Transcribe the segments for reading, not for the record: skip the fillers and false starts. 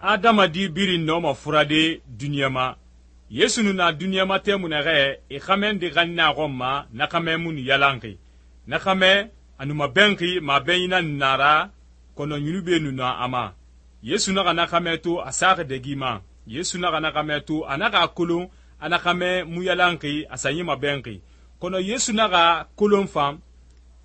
adamadi birin nɔma furade duniɲa ma. Yesu nu na duniɲa ma tɛmui naxɛ e xamɛ nde xanni a xɔn ma, na xamɛ mu nu yalanxi. Na xamɛ a nu mabɛnxi mabɛnyi nan na ra, kɔnɔ ɲunube nu na a ma. Yesu naxa na xamɛ to a saxi dɛgi ma. Yesu naxa na xamɛ to a naxa a kolon a na xamɛ mu yalanxi a sanyi mabɛnxi. Kɔnɔ Yesu naxa kolon fan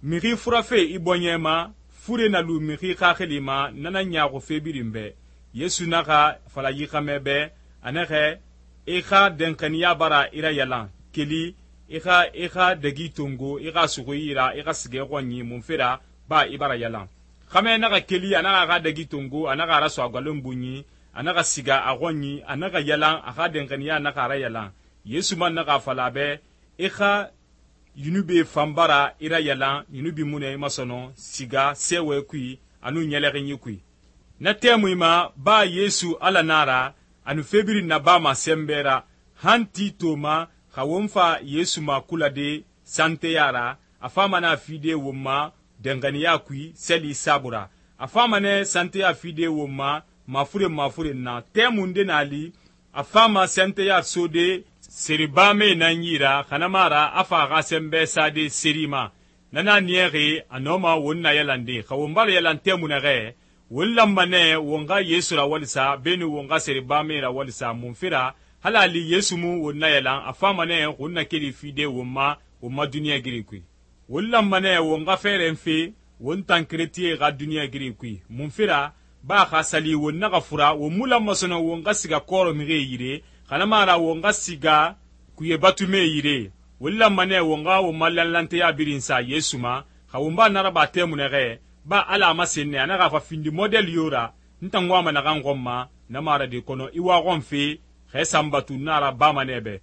mixi furafe i bɔɲɛ ma, fure na lu mixi xaxili ma, nana ɲaaxu fe birin bɛ. Yesu naxa fala yi xamɛ bɛ a naxɛ i xa dɛnxaniya bara i ra yalan, keli i xa dɛgi tongo, i xa suxu i ra, i xa sigɛ xɔnyi munfe ra ba i bara yalan. Xamɛ naxa keli a naxa a xa dɛgi tongo, a naxa a raso a gwalen bunyi, a naxa siga a xɔnyi, a naxa yalan, a xa dɛnxaniya naxa a ra yalan. Yesu man naxa a fala a bɛ i xa yunube fan bara i ra yalan, yunubi mu nɛ i ma sɔnɔ siga sɛwɛ kui a nun ɲɛlɛxinyi kui. Na tɛmui ma ba Yesu Ala na ra, a nu fe birin nabama sɛnbɛ ra, han ti to ma xa won fa Yesu ma kulade santeya ra, a fama nɛ a fide won ma dɛnxaniya kui sɛli saabui ra. A fama nɛ santeya fide won ma mafuren na. Tɛmu nde na li a fama santeya sode seribame nan yi ra, xanama ra a fa a xa sɛnbɛ sade seri ma. Nana niyaxi a nɔma won na yalande, xa won bara yalan tɛmu naxɛ won lanma nɛ won xa Yesu rawalisa beni won xa seribame rawalisa munfe ra, hala a li Yesu mu won na yalan, a fama nɛ won na keli fide won ma duniɲa giri kui. Won lanma nɛ won xa fɛrɛn fe won tan keretiye xa duniɲa giri kui. Munfe ra ba xa sali won naxa fura, won mu lanma sɔnɔ won xa siga kɔrɔ mixie yire, xanama ra won xa siga kuye batume yire. Won lanma nɛ won xa won ma lanlanteya birin sa Yesu ma, xa won ba naraba tɛmu naxɛ ba Ala a masen nɛ a naxa fa findi model yo ra, n tan wama naxan xɔn ma, na mara de kɔnɔ i wa xɔn fe, xɛ sanbatu na ra bama nɛ bɛ.